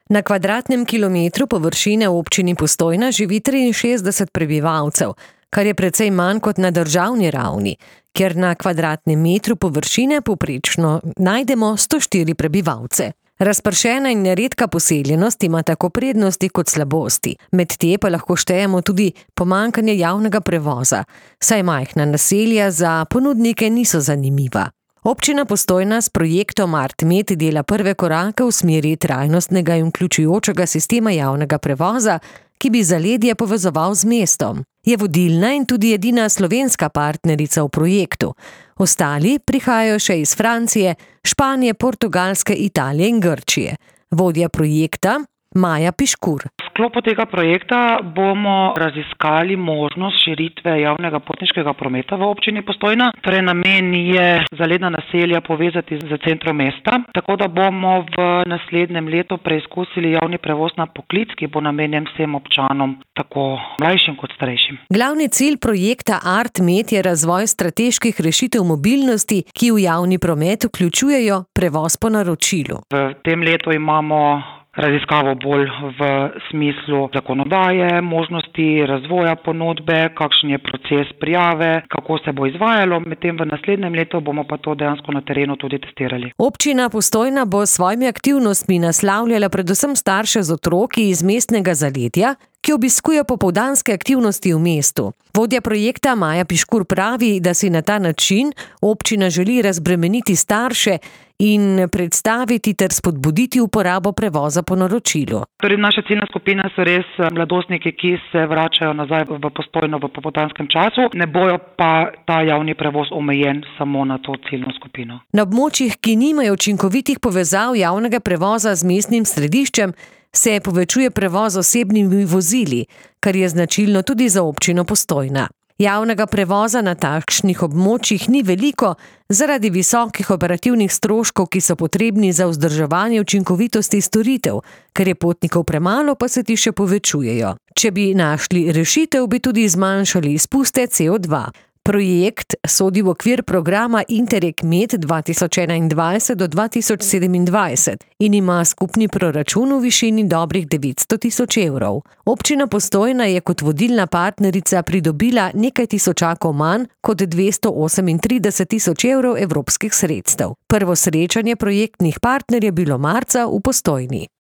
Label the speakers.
Speaker 1: Na kvadratnem kilometru površine v občini Postojna živi 63 prebivalcev, kar je precej manj kot na državni ravni, kjer na kvadratnem metru površine povprečno najdemo 104 prebivalce. Razpršena in neredka poseljenost ima tako prednosti kot slabosti, med te pa lahko štejemo tudi pomanjkanje javnega prevoza, saj majhna naselja za ponudnike niso zanimiva. Občina Postojna s projektom ArtMed dela prve korake v smeri trajnostnega in vključujočega sistema javnega prevoza, ki bi zaledje povezoval z mestom. Je vodilna in tudi edina slovenska partnerica v projektu. Ostali prihajajo še iz Francije, Španije, Portugalske, Italije in Grčije. Vodja projekta Maja Piškur.
Speaker 2: V sklopu tega projekta bomo raziskali možnost širitve javnega potniškega prometa v občini Postojna. Torej namen je zaledna naselja povezati z centrom mesta, tako da bomo v naslednjem letu preizkusili javni prevoz na poklic, ki bo namenjen vsem občanom, tako mlajšim kot starejšim.
Speaker 1: Glavni cilj projekta ArtMed je razvoj strateških rešitev mobilnosti, ki v javni promet vključujejo prevoz po naročilu.
Speaker 2: V tem letu imamo raziskavo bolj v smislu zakonodaje, možnosti razvoja ponudbe, kakšen je proces prijave, kako se bo izvajalo, medtem v naslednjem letu bomo pa to dejansko na terenu tudi testirali.
Speaker 1: Občina Postojna bo s svojimi aktivnostmi naslavljala predvsem starše z otroki iz mestnega zaledja, ki obiskujejo popoldanske aktivnosti v mestu. Vodja projekta Maja Piškur pravi, da si na ta način občina želi razbremeniti starše in predstaviti ter spodbuditi uporabo prevoza po naročilu.
Speaker 2: Torej, naša ciljna skupina so res mladostniki, ki se vračajo nazaj v Postojno v popoldanskem času, ne bojo pa ta javni prevoz omejen samo na to ciljno skupino.
Speaker 1: Na območjih, ki nimajo učinkovitih povezav javnega prevoza z mestnim središčem, se povečuje prevoz osebnimi vozili, kar je značilno tudi za občino Postojna. Javnega prevoza na takšnih območjih ni veliko zaradi visokih operativnih stroškov, ki so potrebni za vzdrževanje učinkovitosti storitev, ker je potnikov premalo, pa se ti še povečujejo. Če bi našli rešitev, bi tudi zmanjšali izpuste CO2. Projekt sodi v okvir programa Interreg Med 2021 do 2027 in ima skupni proračun v višini dobrih 900 000 evrov. Občina Postojna je kot vodilna partnerica pridobila nekaj tisočakov manj kot 238 000 evrov evropskih sredstev. Prvo srečanje projektnih partnerjev je bilo marca v Postojni.